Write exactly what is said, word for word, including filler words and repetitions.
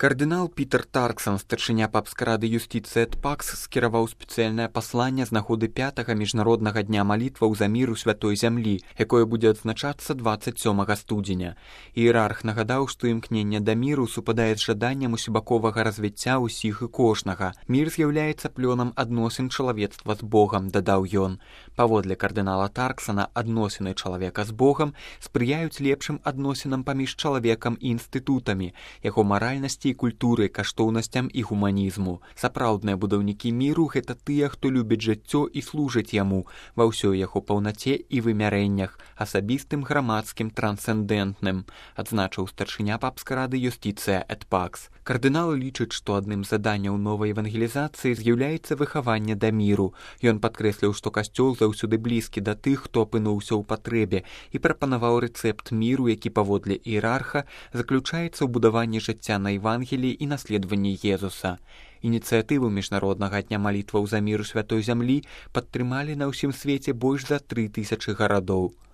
Кардынал Пітер Тарксан, старшыня папскай рады юстыцыі эт пакс, скіраваў спецыяльнае пасланне з нагоды пятага міжнароднага дня малітваў за мір у святой зямлі, якое будзе адзначацца дваццаць сёмага студзеня. Іерарх нагадаў, што імкненне да міру супадае з жаданнем усебаковага развіцця ўсіх і кожнага. Мір з'яўляецца плёнам адносін чалавецтва з Богам, дадаў ён. Паводле кардынала Тарксана, адносіны чалавека з Богам спрыяюць лепшым адносінам паміж чалавекам і інстытутамі, яго маральнасці і культуры, каштоўнасцям і гуманізму. Сапраўдныя будаўнікі міру — гэта тыя, хто любіць жыццё і служыць яму ва ўсёй яго паўнаце і вымярэннях, асабістым, грамадскім, трансцэндэнтным, адзначыў старшыня папскай рады юстыцыя эт пакс. Кардынал лічыць, што адным з заданняў новай евангелізацыі з'яўляецца выхаванне да міру. Ён падкрэсліў, што касцёл заўсёды блізкі да тых, хто апынуўся ў патрэбе, і прапанаваў рэцэпт міру, які паводле іерарха заключаецца ў будаванні жыцця на Евангеліі і наследаванні Езуса. Ініцыятыву міжнароднага дня малітваў за мір у святой зямлі падтрымалі на ўсім свеце больш за тры тысячы гарадоў.